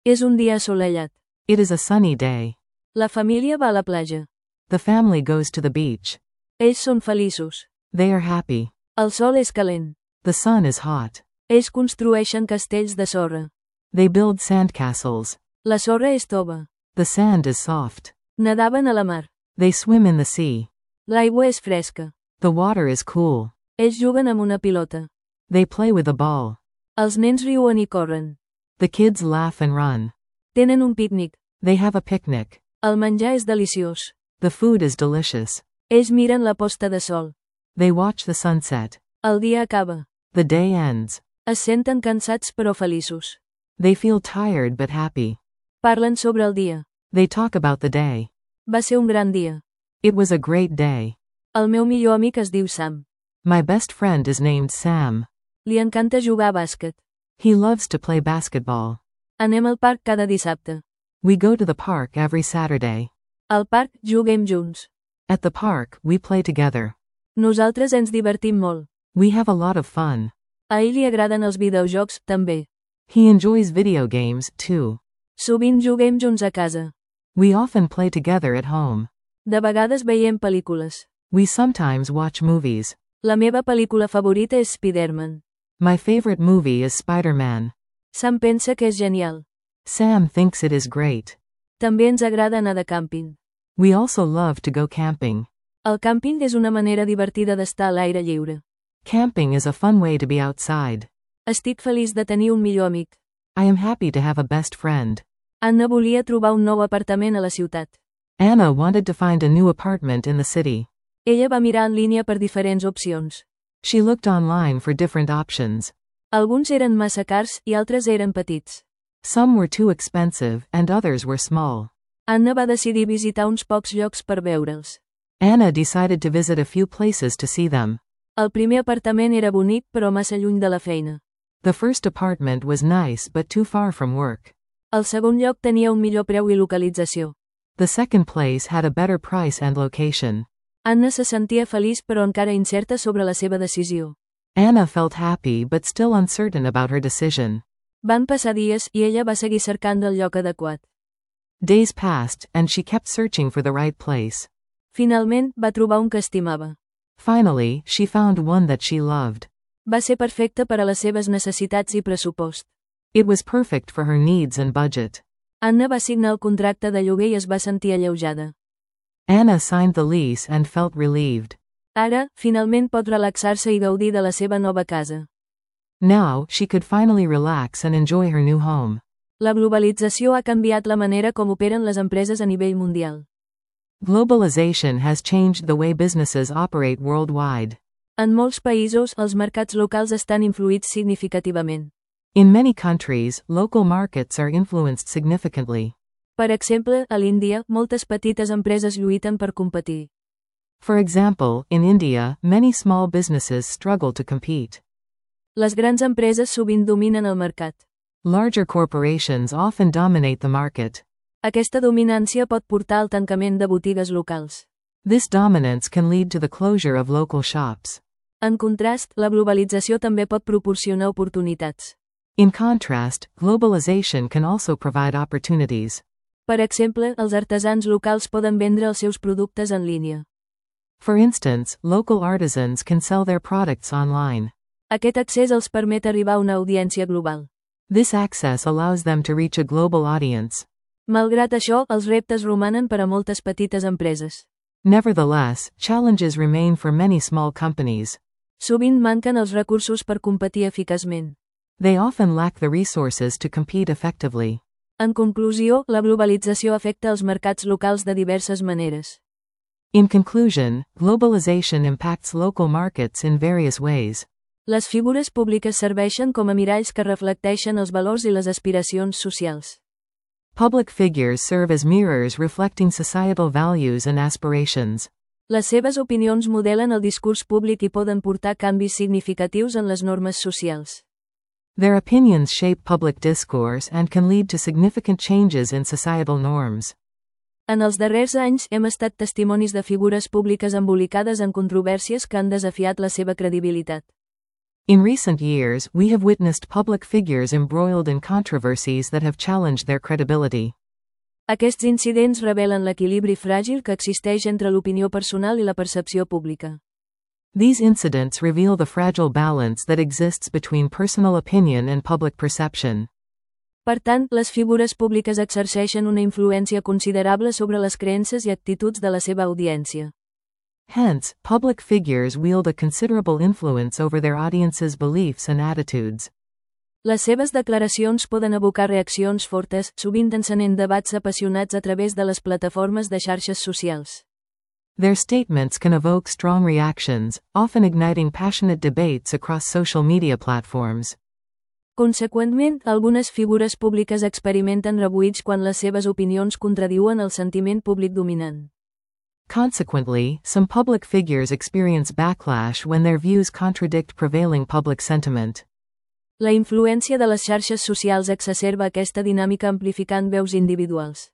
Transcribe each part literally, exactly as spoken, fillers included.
És un dia assolellat. It is a sunny day. La família va a la platja. The family goes to the beach. Ells són feliços. They are happy. El sol és calent. The sun is hot. Ells construeixen castells de sorra. They build sandcastles. La sorra és tova. The sand is soft. Nadaven a la mar. They swim in the sea. L'aigua és fresca. The water is cool. Ells juguen amb una pilota. They play with a ball. Els nens riuen i corren. The kids laugh and run. Tenen un pícnic. They have a picnic. El menjar és deliciós. The food is delicious. Ells miren la posta de sol. They watch the sunset. El dia acaba. The day ends. Es senten cansats però feliços. They feel tired but happy. Parlen sobre el dia. They talk about the day. Va ser un gran dia. It was a great day. El meu millor amic es diu Sam. My best friend is named Sam. Li encanta jugar a bàsquet. He loves to play basketball. Anem al parc cada dissabte. We go to the park every Saturday. Al parc juguem junts. At the park, we play together. Nosaltres ens divertim molt. We have a lot of fun. A ell li agraden els videojocs, també. He enjoys video games, too. Sovint juguem junts a casa. We often play together at home. De vegades veiem pel·lícules. We sometimes watch movies. La meva pel·lícula favorita és Spider-Man. My favorite movie is Spider-Man. Sam pensa que és genial. Sam thinks it is great. També ens agrada anar de càmping. We also love to go camping. El càmping és una manera divertida d'estar a l'aire lliure. Camping is a fun way to be outside. Estic feliç de tenir un millor amic. I am happy to have a best friend. Anna volia trobar un nou apartament a la ciutat. Anna wanted to find a new apartment in the city. Ella va mirar en línia per diferents opcions. She looked online for different options. Alguns eren massa cars i altres eren petits. Some were too expensive, and others were small. Anna va decidir visitar uns pocs llocs per veure'ls. Anna decided to visit a few places to see them. El primer apartament era bonic però massa lluny de la feina. The first apartment was nice but too far from work. El segon lloc tenia un millor preu i localització. The second place had a better price and location. Anna se sentia feliç però encara incerta sobre la seva decisió. Anna felt happy but still uncertain about her decision. Van passar dies i ella va seguir cercant el lloc adequat. Days passed, and she kept searching for the right place. Finalment, va trobar un que estimava. Finally, she found one that she loved. Va ser perfecte per a les seves necessitats i pressupost. It was perfect for her needs and budget. Anna va signar el contracte de lloguer i es va sentir alleujada. Anna signed the lease and felt relieved. Ara, finalment pot relaxar-se i gaudir de la seva nova casa. Now, she could finally relax and enjoy her new home. La globalització ha canviat la manera com operen les empreses a nivell mundial. Globalization has changed the way businesses operate worldwide. En molts països, els mercats locals estan influïts significativament. In many countries, local markets are influenced significantly. Per exemple, a l'Índia, moltes petites empreses lluiten per competir. For example, in India, many small businesses struggle to compete. Les grans empreses sovint dominen el mercat. Larger corporations often dominate the market. Aquesta dominància pot portar al tancament de botigues locals. This dominance can lead to the closure of local shops. En contrast, la globalització també pot proporcionar oportunitats. In contrast, globalization can also provide opportunities. Per exemple, els artesans locals poden vendre els seus productes en línia. For instance, local artisans can sell their products online. Aquest accés els permet arribar a una audiència global. This access allows them to reach a global audience. Malgrat això, els reptes romanen per a moltes petites empreses. Nevertheless, challenges remain for many small companies. Sovint manquen els recursos per competir eficaçment. They often lack the resources to compete effectively. En conclusió, la globalització afecta els mercats locals de diverses maneres. In conclusion, globalization impacts local markets in various ways. Les figures públiques serveixen com a miralls que reflecteixen els valors i les aspiracions socials. Public figures serve as mirrors reflecting societal values and aspirations. Les seves opinions modelen el discurs públic i poden portar canvis significatius en les normes socials. Their opinions shape public discourse and can lead to significant changes in societal norms. En els darrers anys hem estat testimonis de figures públiques embolicades en controvèrsies que han desafiat la seva credibilitat. In recent years, we have witnessed public figures embroiled in controversies that have challenged their credibility. Aquests incidents revelen l'equilibri fràgil que existeix entre l'opinió personal i la percepció pública. These incidents reveal the fragile balance that exists between personal opinion and public perception. Per tant, les figures públiques exerceixen una influència considerable sobre les creences i actituds de la seva audiència. Hence, public figures wield a considerable influence over their audience's beliefs and attitudes. Les seves declaracions poden evocar reaccions fortes, sovint encenent debats apassionats a través de les plataformes de xarxes socials. Their statements can evoke strong reactions, often igniting passionate debates across social media platforms. Conseqüentment, algunes figures públiques experimenten rebuig quan les seves opinions contradiuen el sentiment públic dominant. Consequently, some public figures experience backlash when their views contradict prevailing public sentiment. La influència de les xarxes socials exacerba aquesta dinàmica amplificant veus individuals.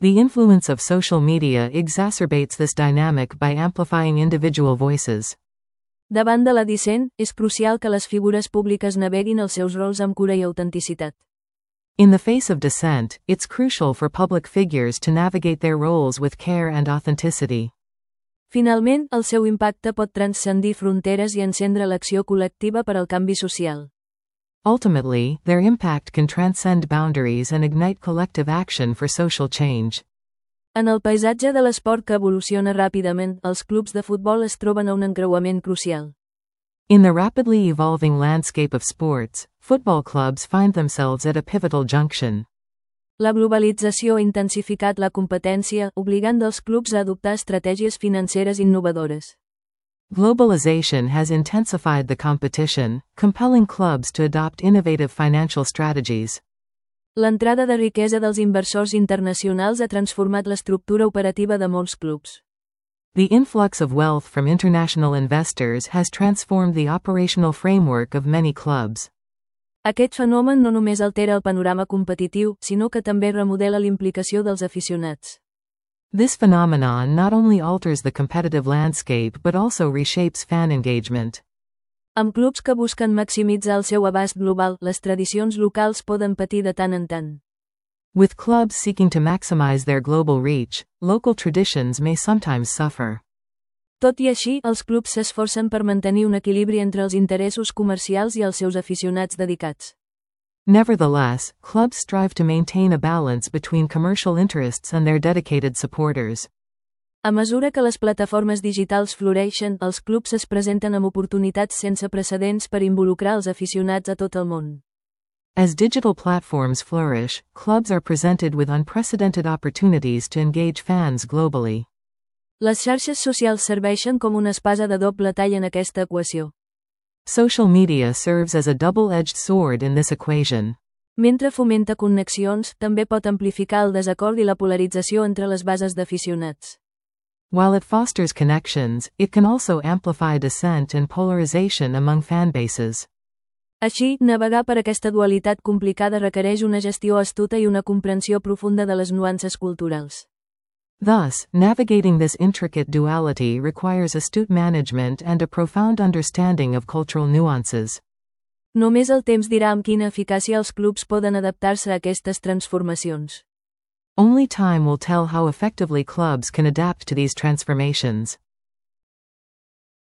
The influence of social media exacerbates this dynamic by amplifying individual voices. Davant de la dissent, és crucial que les figures públiques naveguin els seus rols amb cura i autenticitat. In the face of dissent, it's crucial for public figures to navigate their roles with care and authenticity. Finalment, el seu impacte pot transcendir fronteres i encendre l'acció col·lectiva per al canvi social. Ultimately, their impact can transcend boundaries and ignite collective action for social change. En el paisatge de l'esport que evoluciona ràpidament, els clubs de futbol es troben a un encreuament crucial. In the rapidly evolving landscape of sports, football clubs find themselves at a pivotal junction. La globalització ha intensificat la competència, obligant els clubs a adoptar estratègies financeres innovadores. Globalization has intensified the competition, compelling clubs to adopt innovative financial strategies. L'entrada de riquesa dels inversors internacionals ha transformat l'estructura operativa de molts clubs. The influx of wealth from international investors has transformed the operational framework of many clubs. Aquest fenomen no només altera el panorama competitiu, sinó que també remodela l'implicació dels aficionats. This phenomenon not only alters the competitive landscape but also reshapes fan engagement. Amb clubs que busquen maximitzar el seu abast global, les tradicions locals poden patir de tant en tant. With clubs seeking to maximize their global reach, local traditions may sometimes suffer. Tot i així, els clubs s'esforcen per mantenir un equilibri entre els interessos comercials i els seus aficionats dedicats. Nevertheless, clubs strive to maintain a balance between commercial interests and their dedicated supporters. A mesura que les plataformes digitals floreixen, els clubs es presenten amb oportunitats sense precedents per involucrar els aficionats a tot el món. As digital platforms flourish, clubs are presented with unprecedented opportunities to engage fans globally. Les xarxes socials serveixen com una espasa de doble tall en aquesta equació. Social media serves as a double-edged sword in this equation. Mentre fomenta connexions, també pot amplificar el desacord i la polarització entre les bases d'aficionats. While it fosters connections, it can also amplify dissent and polarization among fanbases. Així, navegar per aquesta dualitat complicada requereix una gestió astuta i una comprensió profunda de les nuances culturals. Thus, navigating this intricate duality requires astute management and a profound understanding of cultural nuances. Només el temps dirà amb quina eficàcia els clubs poden adaptar-se a aquestes transformacions. Only time will tell how effectively clubs can adapt to these transformations.